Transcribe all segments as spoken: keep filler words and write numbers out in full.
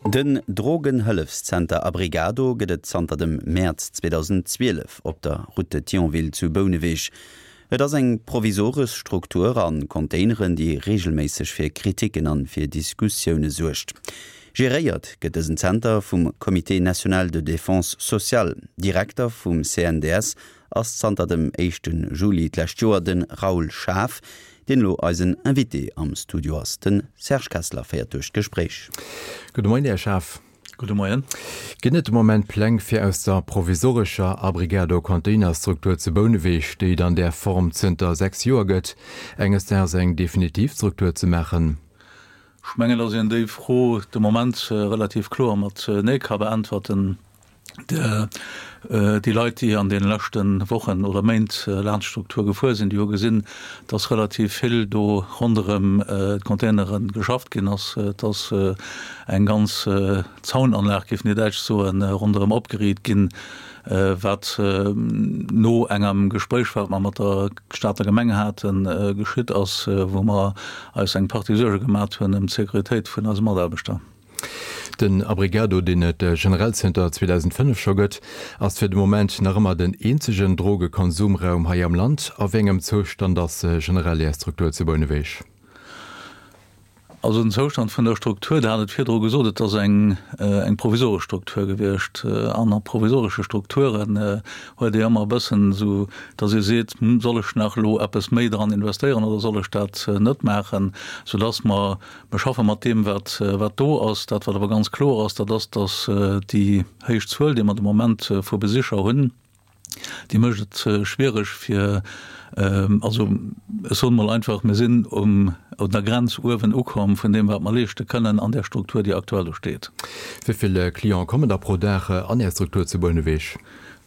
Den Drogenhëllefszenter Abrigado gëtt et zanter dem Mäerz zweedausendzwielef op der Route de Thionville zu Bouneweg. Et ass eng provisoresch Struktur a Containeren, déi reegelméisseg fir Kriticken an fir Diskussioune suergt. Geréiert gëtt dësen Zenter vum Comité national de défense sociale. Direkter vum C N D S ass zanter dem éischte Juli d'lescht Joer de Raoul Schaaf, deen elo eisen Invité am Studio ass. De Serge Kessler féiert duerch d'Gespréich. Gudde Moien, Här Schaaf. Gudde Moien. Ginn et de Moment Pläng, fir aus der provisorescher Abrigado-Containerstruktur zu Bouneweg, déi et an där Form zënter sechs Joer gëtt, enges Daags eng definitiv Struktur ze maachen? Ech mengen, datt een déi Fro de Moment relativ kloer mat Nee ka beäntwerten. Déi Leit, déi an deene leschte Wochen oder Méint laanscht d'Struktur gefuer sinn, déi hu gesinn, dass relativ vill do ronderëm d'Containere geschafft ginn ass. Et ass eng ganz Zaunanlag, géifen déi Däitsch soen, ronderëm opgeriicht ginn, wat no engem Gespréich, wat mer mat der Stater Gemeng haten, geschitt ass, wou mer eis eng Partie Suerge gemat hunn ëm d'Sécuritéit vun eise Mataarbechter. Den Abrigado, deen et generell zënter zweedausendfënnef scho gëtt, ass fir de Moment nach ëmmer den eenzegen Drogekonsumraum hei am Land. A wéi engem Zoustand ass generell Är Struktur zu Bouneweg? Also den Zoustand vun der Struktur, Der hat et virdru gesot, et ass eng eng provisoresch Struktur gewiescht. An a provisoresche Strukturen huet ee ëmmer e bëssen esou, datt ee seet, Hm, soll ech nach elo eppes méi dran investéieren oder soll ech dat net maachen? Soudass mer, mer schaffe mat deem, wat wat do ass. Dat, wat awer ganz kloer ass, dat ass, datt déi héich Zuel, déi mer de Moment vu Besicher hunn, déi mécht et schwiereg fir, also ech soen emol einfach, mir sinn um un der Grenz uewen ukomm vun deem, wat mer leeschte kënnen an där Struktur, déi aktuell do steet. Wéi vill Cliente kommen da pro Dag an Är Struktur zu Bouneweg?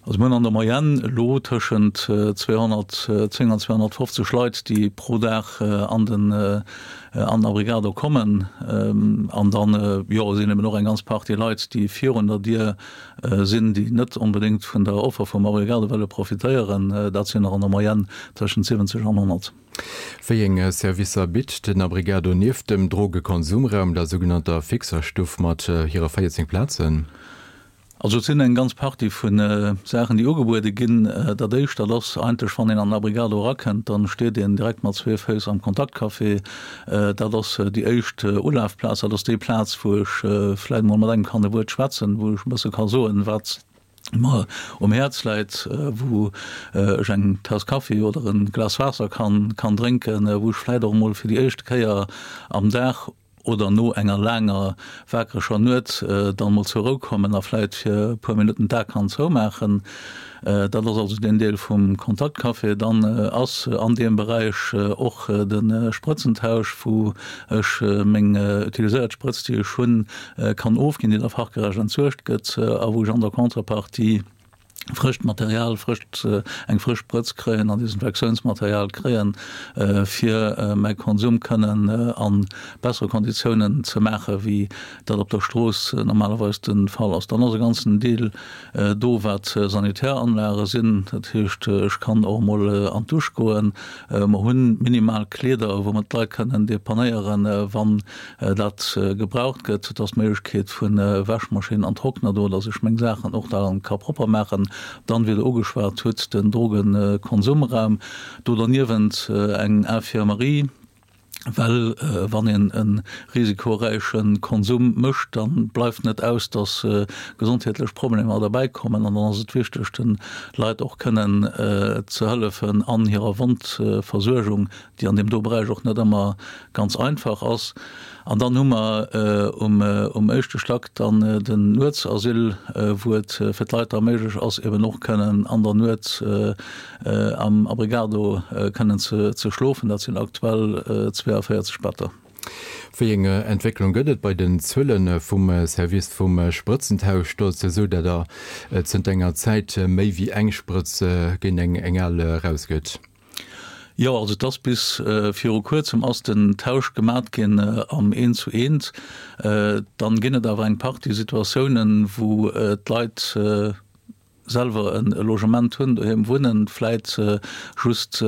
Also mir hunn an der Moyenne elo tëschent zweehonnertzéng an zweehonnertfofzeg Leit, déi pro Dag an den an den Abrigado kommen. An dann, jo, sinn eben och eng ganz Partie Leit, déi virun der Dier sinn, déi net onbedéngt vun der Offer vum Abrigado wëlle profitéieren. Dat sinn der an der Moyenne tëschent siwwenzeg an honnert. Wéi eng Servicer bitt den Abrigado nieft dem Drogekonsumraum, der sougenannter Fixerstuff mat hire véierzéng Plazen? Also et sinn eng ganz Partie vu Saachen, déi ugebuede ginn. Dat Éischt, dat ass eigentlech, wann een an den Abrigado erakënnt, da steet een direkt mat zwee Féiss am Kontaktcafé. Dat ass déi éischt Ulafplaz. Dat ass déi Plaz, wou ech vläicht emol mat engem kann e Wuert schwätzen, wou ech e bësse ka soen, wat mer um Häerz läit, wou ech eng Taass Kaffi oder e Glas Waasser kann drénken, wou ech vläicht och emol fir déi éischte Kéier am Dag oder no enger laanger wakereger Nuet dann mol zur Rou kommen a vläit fir e puer Minutten d'A kann zoumaachen. Dat ass also deen Deel vum Kontaktcafé. Dann ass an deem Beräich och de Sprëtzentausch, wou ech meng utiliséiert Sprëtz, déi ech hunn, kann ofginn, déi da fachgerecht entsuergt gëtt a wou ech an der Contrepartie frëscht Material, frëscht, eng frësch Sprëtz kréien an Desinfektiounsmaterial kréien, fir mäi Konsum kënnen a bessere Konditiounen ze maachen, wéi dat op der Strooss normalerweis de Fall ass. Dann ass e ganzen Deel do, wat Sanitäranlage sinn. Dat heescht, ech kann och emol an d'Dusch goen. Mer hu minimal Kleeder, wou mer d'Leit kënnen depanéieren, wann dat gebraucht gëtt. Et ass d'Méiglechkeet vu Wäschmaschinn an Trockner do, dass ech meng Saachen och da ka propper maachen. Dann, wéi Der ugeschwat hutt, den Drogenkonsumraum. Do derniewent eng Infirmerie, well wann een e risikoräiche Konsum mécht, da bleift net aus, dass gesondheetlech Problemer derbäikommen. An dann ass et wichteg, de Leit och kënnen ze hëllefen an hirer Wondversuergung, déi an deem do Beräich och net ëmmer ganz einfach ass. An dann hu mer um éischte Stack dann den Nuetsasyl, wou et fir d'Leit da méiglech ass, eben och kënnen an der Nuet am Abrigado kënnen ze schlofen. Dat sinn aktuell zweeavéierzeg Better. Wéi eng Entwécklung gëtt et bei den Zuele vum Service vum Sprëtzentausch? Do ass et jo esou, datt Der zënter enger Zäit méi wéi eng Sprëtz géint eng al erausgëtt. Jo, also et ass bis viru kuerzem ass den Tausch gemat ginn am Eent zu Eent. Dann ginn et awer eng Partie Situatiounen, wou d'Leit selwer e Logement hunn, doheem wunnen, vläit just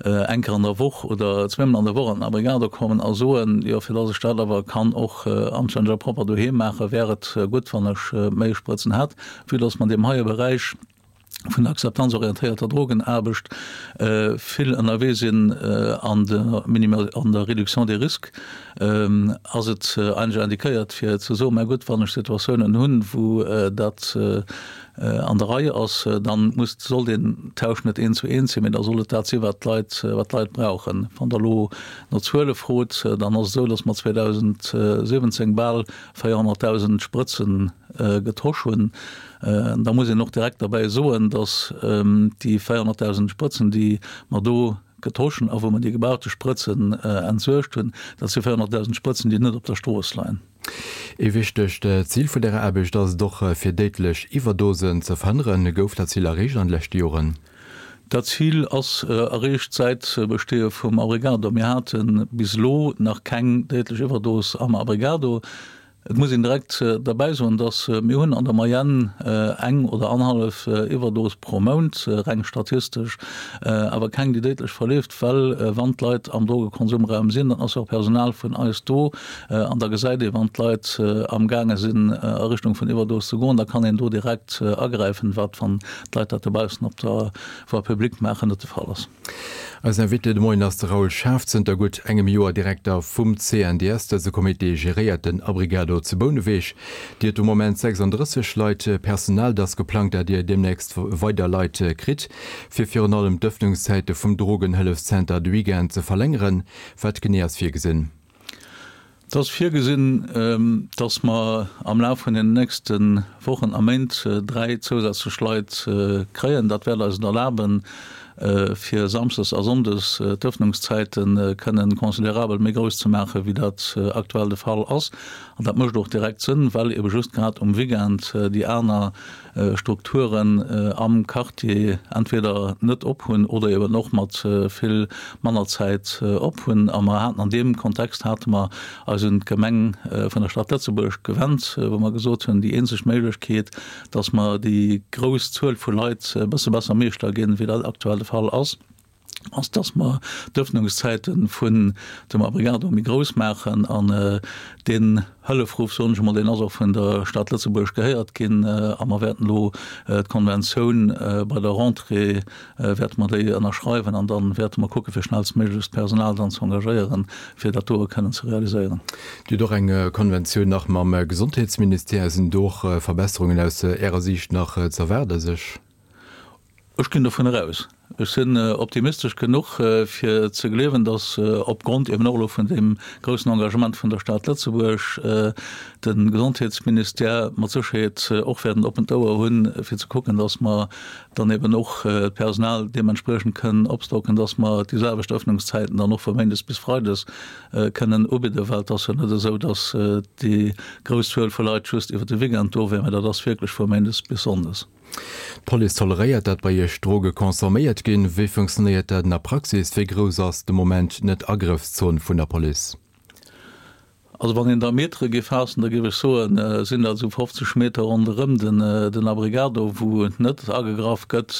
eng Kéier an der Woch oder zweemol an der Woch an den Abrigado kommen a soen, jo fir dass ech dat awer kann och anstänneg a propper doheem maachen, wär et gutt, wann ech méi Sprëtzen hätt, vue dass mer an deem heie Beräich vun der akzeptanzorientéierter Drogenaarbecht vill ënnerwee sinn an der an der Réduction des risques, ass et eigentlech indiquéiert fir ze soen, mä gutt, wann ech Situatiounen hunn, wou dat an der Rei ass, dann muss, soll deen Tausch net eent zu eent sinn, mä da soll et dat sinn, wat d'Leit, wat d'Leit brauchen. Wann Der elo no Zuele frot, dann ass et esou, datt mer zweedausendsiwwenzéng bal véierhonnertdausend Sprëtze getosch hunn. Da muss een och direkt derbäi soen, datt déi véierhonnertdausend Sprëtzen, déi mer do getosch hunn a wou mer déi gebrauchte Sprëtzen entsuergt hunn, dat si véierhonnertdausend Sprëtzen, déi net op der Strooss leien. Ee wichtegt Zil vun därer Aarbecht ass et och, fir déidlech Iwwerdosen ze verhënneren. Gouf dat Zil erreecht an de leschte Joren? Dat Zil ass erreecht säit Besteeë vum Abrigado. Mir hate bis elo nach keng déidlech Iwwerdos am Abrigado. Et muss een direkt derbäi soen, dass mir hunn an der Moyenne eng oder annerhallef Iwwerdos pro Mount, reng statistesch, awer keng, déi déidlech verleeft, well wann d'Leit am Drogekonsumraum sinn, dann ass jo och Personal vun eis do an da gesäit ee wann d'Leit amgaange sinn a Richtung vun Iwwerdos ze goen, da kann een do direkt agräifen, wat wann d'Leit dat dobaussen op der Voie publique maachen net de Fall ass. Eisen Invité de Moien ass de Raoul Schaaf, zënter gutt engem Joer Direkter vum C N D S. Dëse Comité geréiert den Abrigado zu Bouneweg. Dir hutt de Moment sechsandrësseg Leit Personal. Et ass geplangt, dat Dir deemnächst weider Leit kritt, fir virun allem d'Ëffnungszäite vum Drogenhëllefszenter de Weekend ze verlängeren. Wat genee ass virgesinn? Et ass virgesinn, dass mer am Laf vun den nächste Wochen a Méint dräi zousätzlech Leit kréien. Dat wäert eis et erlaben, fir samsdes a sonndes d'Ëffnungszäite kënnen considerabel méi grouss ze maachen, wéi dat aktuell de Fall ass. An dat mécht och direkt Sënn, well ebe just grad um Weekend déi aner Strukturen am Quartier entweder net op hunn oder eben och mat vill manner Zäit op hunn. A mer haten an deem Kontext hate mer eis un d'Gemeng vun der Stad Lëtzebuerg gewennt, wou mer gesot hunn, déi eenzeg Méiglechkeet, dass mer déi grouss Zuel vu Leit e bësse besser meeschter ginn, wéi dat aktuell de Fall ass, ass, dass mer d'Öffnungszäite vun dem Abrigado méi grouss maachen. An deen Hëllefruff, soen ech emol, deen ass och vun der Stad Lëtzebuerg gehéiert ginn. A mer wäerten elo d'Konventioun bei der Rentrée wäerte mer déi ënnerschreiwen an da wäerte mer kucke fir schnellstméiglechst Personal dann ze engagéieren, fir dat do kënnen ze realiséieren. Dir hutt och eng Konventioun nach mam Gesondheetsministère. Sinn do och Verbesserungen aus Ärer Siicht nach z'erwaarde sech? Ech ginn dovun eraus. Ech sinn optimistesch genuch, fir ze gleewen, datt opgrond eben och elo vun deem groussen Engagement vun der Stad Lëtzebuerg de Gesondheetsministère mat Sécherheet och wäert en oppent Ouer hunn, fir ze kucken, datt mer dann eben och d'Personal deementspriechend kënnen opstocken, datt mer déi selwecht Öffnungszäiten dann och vu méindes bis freides kënnen ubidden, well et ass jo net esou, datt déi grouss Zuel vu Leit just iwwer de Weekend do wär, mä dat ass wierklech vu méindes bis sonndes. D'Police toleréiert, dat bei Iech Droge consomméiert ginn. Wéi funktionéiert dat an der Praxis? Wéi grouss ass de Moment d'Net-Agrëffszon vun der Police? Also wann een da Metere géif faassen, da géif ech soen, sinn dat esou fofzeg Meter ronderëm den Abrigado, wou net agegraff gëtt.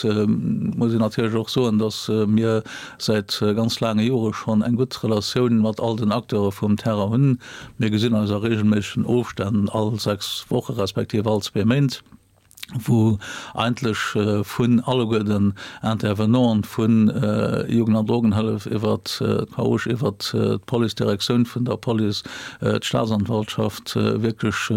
Muss een natierlech och soen, datt mir säit ganz laange Jore schonn eng gutt Relatioun mat all den Acteure vum Terrain hunn. Mir gesinn eis a reegelméissegen Ofstänn, all sechs Woche respektiv all zwee Méint, wou eigentlech vun alleguer den Intervenanten, vu Jugend an Drogenhëllef iwwert d'Croix-Rouge, iwwert d'Police, d'Direktioun vun der Police, d'Staatsanwaltschaft, wierklech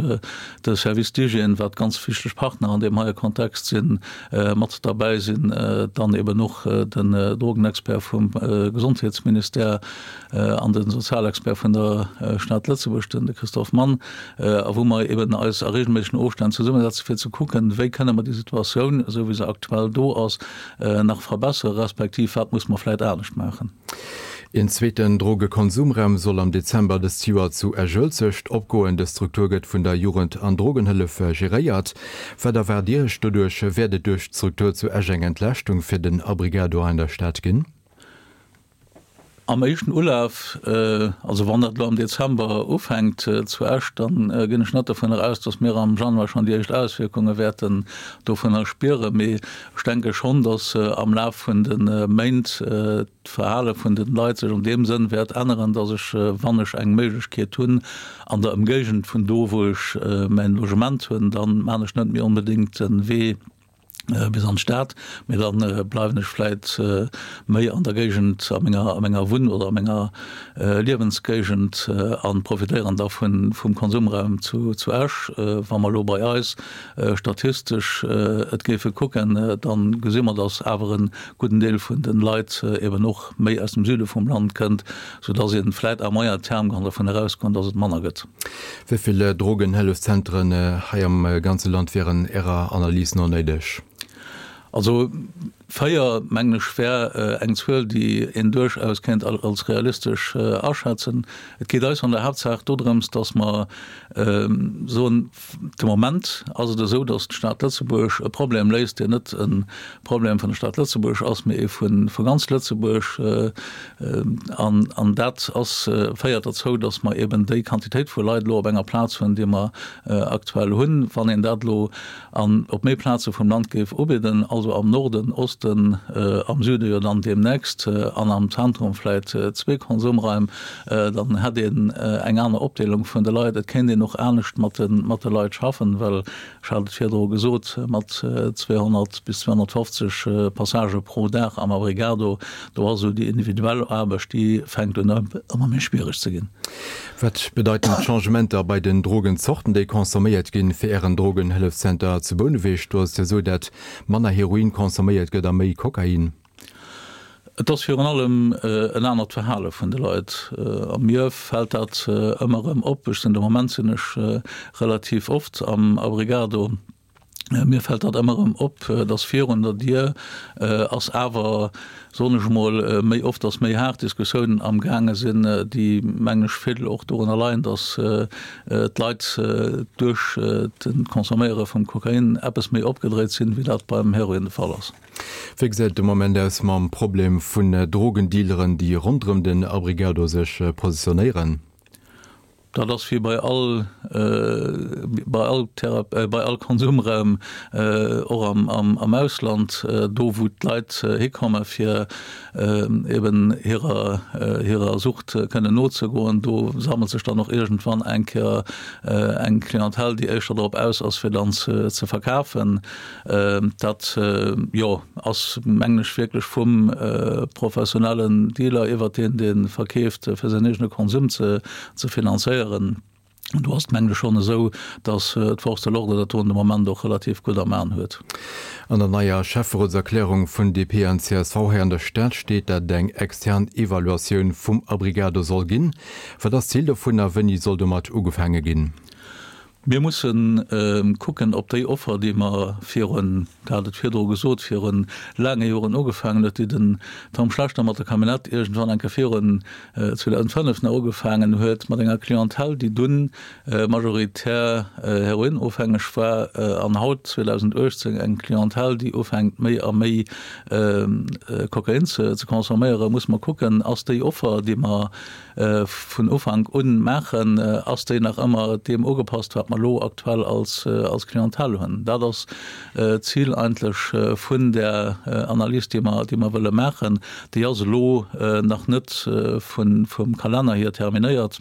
de Service d'hygiène, wat ganz wichteg Partner an deem heie Kontext sinn, mat derbäi sinn, dann eben och den Drogenexpert vum Gesondheetsministère an de Sozialexpert vun der Stad Lëtzebuerg, den Christophe Mann, a wou mer eben eis a regelméissegen Ofstänn zesummesetzen, fir ze kucken, wéi kënne mer déi Situatioun, esou wéi se aktuell do ass, nach verbessere respektiv wat muss mer vläicht anescht maachen. Een zweeten Drogekonsumraum soll am Dezember dëst Joer zu Esch-Uelzecht opgoen. Dës Struktur gëtt vun der Jugend an Drogenhëllef geréiert. Wat erwaart Dir Iech doduerch? Wäert et duerch d'Struktur zu Esch eng Entlaaschtung fir den Abrigado hei an der Stad ginn? Am éischten Ulaf, also wann dat elo am Dezember ufänkt zu Esch, da ginn ech net dovunner aus, datt mir am Januar schonn déi éischt Auswierkunge wäerten dovunner spieren. Mee ech denke schonn, datt am Laf vun de Méint d'Verhale vun de Leit sech an deem Sënn wäert änneren, datt ech, wann ech eng Méiglechkeet hunn an der Ëmgéigend vun do, wou ech mäin Logement hunn, da maan ech net méi onbedéngt de Wee bis an d'Stad, mee da bleiwen ech vläit méi an der Géigend, a menger, a menger Wunn oder a menger Liewensgéigend a profitéieren da vun, vum Konsumraum zu, zu Esch. Wa mer elo bei eis statistesch et géife kucken, da gesi mer, datt awer e gudden Deel vun de Leit eben och méi aus dem Süde vum Land kënnt, soudatt ee vläit à moyen terme kann dovun erausgoen, datt et manner gëtt. Wéi vill Drogenhëllefszentren hei am ganze Land wieren Ärer Analys no néideg? Also véier, mengen ech, wär eng Zuel, déi een duerchaus kéint als realistesch aschätzen. Et geet eis an der Haaptsaach dodrëms, datt mer soen, de Moment ass et esou, datt d'Stad Lëtzebuerg e Problem léist, deen net e Problem vun der Stad Lëtzebuerg ass, mee ee vu ganz Lëtzebuerg. An dat ass, féiert derzou, datt mer eben déi Quantitéit vu Leit elo op enger Plaz hunn, déi mer aktuell hunn. Wann een dat elo an op méi Plaze vum Land géif ubidden, also am Norden, Osten, am Süde jo dann deemnächst an am Zentrum vläit zwee Konsumraim, dann hätt een eng aner Opdeelung vun de Leit. Et kéint een och anescht mat de mat de Leit schaffen, well, ech hat et virdru gesot, mat zweehonnert bis zweehonnertfofzeg Passagë pro Dag am Abrigado, do ass esou déi individuell Aarbecht, déi fänkt un ëmmer méi schwiereg ze ginn. Wat bedeiten d'Changementer bei den Drogenzorten, déi consomméiert ginn, fir Ären Drogenhëllefszenter zu Bouneweg? Do ass et jo esou, dat manner Heroin consomméiert gëtt a méi Kokain. Et ass virun allem en anert Verhale vun de Leit. A mir fält dat ëmmer erëm op. Ech sinn, de Moment sinn ech relativ oft am Abrigado. Mir fält dat ëmmer erëm op, dass virun der Dier ass awer, soen ech emol, méi oft, dass méi haart Diskussiounen amgaange sinn, déi, mengen ech, vill och dorunner leien, dass d'Leit duerch de Consomméiere vum Kokain eppes méi opgedréit sinn, wéi dat beim Heroin de Fall ass. Wéi gesäit et de Moment aus mam Problem vun Drogendealeren, déi ronderëm den Abrigado sech positionéieren? Dat ass wéi bei all, bei all Thera, bei all Konsumraum, och am, am, am Ausland, do wou d'Leit hikomme fir eben hirer, hirer Sucht kënnen nozegoen, do sammelt sech dann och iergendwann eng Kéier eng Clientèle, déi éischter drop aus ass fir dann ze, ze verkafen. Dat, jo, ass mengen ech wierklech vum professionellen Dealer iwwert deen, dee verkeeft fir säin eegene Konsum ze, ze finanzéieren. Do ass et mengen ech schonn esou, datt d'Force de l'ordre dat do de Moment och relativ gutt am An huet. An der neier Schäfferotserklärung vun D P an C S V hei an der Stad steet, datt et eng extern Evaluatioun vum Abrigado soll ginn. Wat ass d'Zil dovun a wéini soll domat ugefaange ginn? Mir musse kucken, ob déi Offer, déi mer virun, dat hat et virdru gesot, viru laange Joren ugefaangen huet, déi den Tom Schlechter mat der Camionnette iergendwann eng Kéier virun zweedausendfënnef nach ugefaangen huet, mat enger Clientèle, déi dunn majoritär heroinofhängeg war, an haut, zweedausenduechtzéng, eng Clientèle, déi ufänkt méi a méi Kokain ze consomméieren, musse mer kucken, ass déi Offer, déi mer vun Ufank un maachen, ass déi nach ëmmer deem ugepasst, wat mer elo aktuell als als Clientèle hunn. Dat ass d'Zil eigentlech vun där Analys, déi mer déi mer wëlle maachen. Déi ass elo nach net vun vum Kalenner hier terminéiert,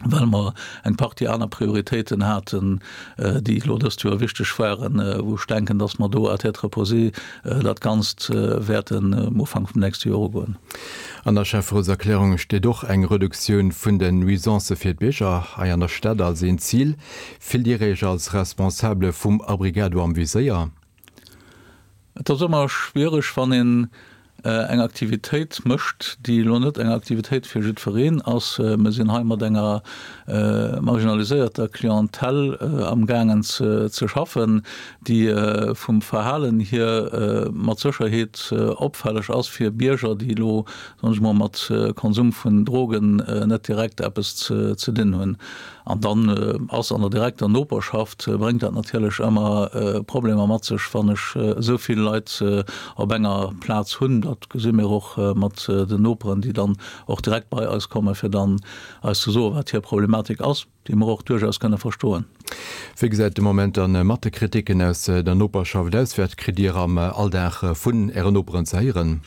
well mer eng Partie aner Prioritéiten haten, déi elo dëst Joer wichteg waren, wou ech denken, dass mer do à tête reposée dat Ganzt wäerten um Ufank vum nächste Joer ugoen. An der Schäfferotserklärung steet och eng Reduktioun vun den Nuisancë fir d'Bierger hei an der Stad als een Zil. Fillt Dir Iech als Responsabele vum Abrigado am Viséier? Et ass ëmmer schwiereg, wann een eng Aktivitéit mécht, déi elo net eng Aktivitéit fir jiddwereen ass. Mir sinn hei mat enger marginaliséierter Clientèle amgaangen ze schaffen, déi vum Verhalen hier mat Sécherheet opfälleg ass fir Bierger, déi elo, soen ech mol, mat Konsum vun Drogen net direkt eppes ze dinn hunn. An dann ass an der direkter Noperschaft, bréngt dat natierlech ëmmer Problemer mat sech, wann ech esou vill Leit op enger Plaz hunn. Dat gesi mir och mat den Noperen, déi dann och direkt bei eis kommen, fir dann eis ze soen, wat hir Problematik ass, déi mer och duerchaus kënne verstoen. Wéi gesäit de Moment dann mat de Kritiken aus der Noperschaft aus? Wat kritt Dir am Alldag vun Ären Noperen ze héieren?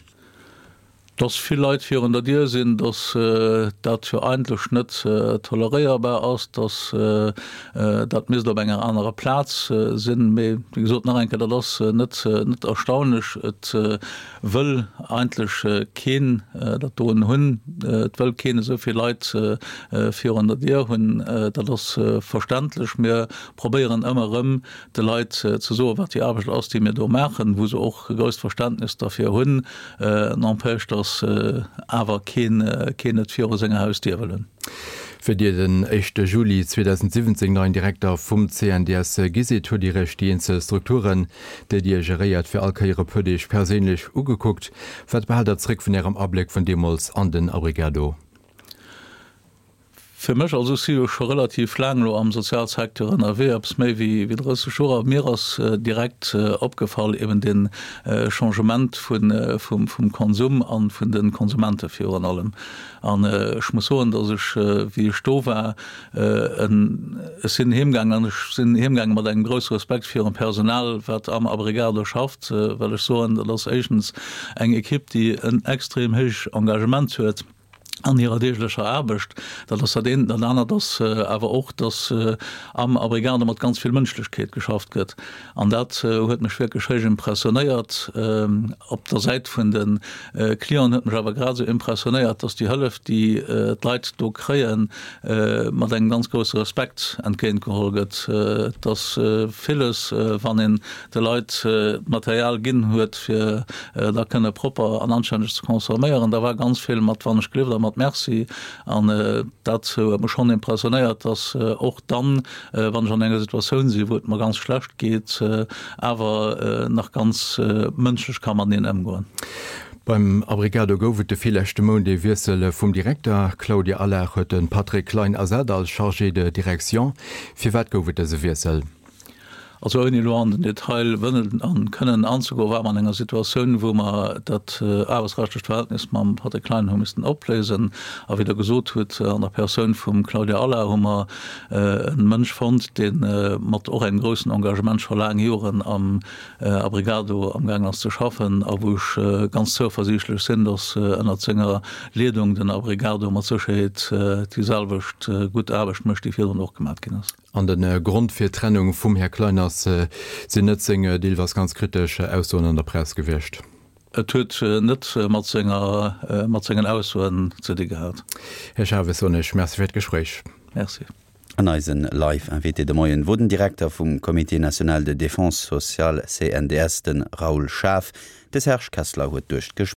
Dass vill Leit virun der Dier sinn, dass dat jo eigentlech net toleréierbar ass, dass dat misst op enger anerer Plaz sinn. Mee wéi gesot, nach eng Kéier, dat ass net net erstaunlech. Et wëll eigentlech keen dat doen hunn. Et wëll keen esou vill Leit virun der Dier hunn. Dat ass verständlech. Mir probéieren ëmmer erëm, de Leit ze soen, wat déi Aarbecht ass, déi mir do maachen, wou se och e grousst Verständnis derfir hunn. N'empêche, dass awer keen keen et viru senger Hausdier wëll hunn. Wéi Dir den éischte Juli zweedausendsiwwenzéng neien Direkter vum C N D S gi sidd, hutt Dir Iech déi eenzel Strukturen, déi Dir geréiert, fir all Kéier e puer Deeg perséinlech ugekuckt. Wat behaalt Der zréck vun Ärem Abléck vun deemools an den Abrigado? Fir mech, also ech si jo scho relativ laang elo am Sozialsecteur ënnerwee, eppes méi wéi drësseg Joer, a mir ass direkt opgefall eben dee Changement vum Konsum a vun de Konsumente virun allem. An ech muss soen, datt ech, wéi ech do war, ech sinn heemgaangen an ech sinn heemgaange mat engem grousse Respekt virum Personal, wat am Abrigado schafft, well ech soen, dat ass éischtens eng Equipe, déi en extrem héich Engagement huet an hirer deeglecher Aarbecht. Dat ass dat eent. Dat anert ass awer och, dass am Abrigado mat ganz vill Mënschlechkeet geschafft gëtt. An dat huet mech wierklech héich impressionéiert. Op der Säit vun de Clienten huet mech awer grad esou impressionéiert, dass déi Hëllef, déi d'Leit do kréien, mat engem ganz grousse Respekt entgéintgeholl gëtt. Dass villes, wann een de Leit d'Material ginn huet, fir da kënne propper an anstänneg ze consomméieren, da war ganz vill mat wann ech gelift a mat Merci. An dat huet mech schonn impressionéiert, dass och dann, wann ech an enger Situatioun sinn, wou et mer ganz schlecht geet, awer nach ganz mënschlech ka mateneen ëmgoen. Beim Abrigado gouf et de virleschte Mount ee Wiessel vum Direkter. D'Claudia Allard huet de Patrick Klein ersat als Chargé de direction. Firwat gouf et dëse Wiessel? Also ouni elo an den Detail wëllen an kënnen anzegoen, war mer an enger Situatioun, wou mer dat aarbechtsrechtlecht Verhältnis mam Patrick Klein hu missten opléisen. A wéi Der gesot hutt, an der Persoun vum Claudia Allard hu mer e Mënsch fonnt, dee mat och engem groussen Engagement scho laang Joren am Abrigado amgaangen ass ze schaffen a wou ech ganz zouversiichtlech sinn, dass ënnert senger Leedung den Abrigado mat Sécherheet déi selwecht gutt Aarbecht mécht, déi virdrun och gemat ginn ass. An de Grond fir d'Trennung vum Här Klein ass, sinn net seng deelweis ganz kritesch Aussoen an der Press gewiescht? Et huet net mat senger, mat sengen Aussoen ze di gehat. Här Schaaf, ech soen Iech Merci fir d'Gespréich. Merci. An eisen Live-Invité de Moien wor den Direkter vum Comité national de défense sociale, C N D S, de Raoul Schaaf. De Serge Kessler huet duerch d'Gespréich.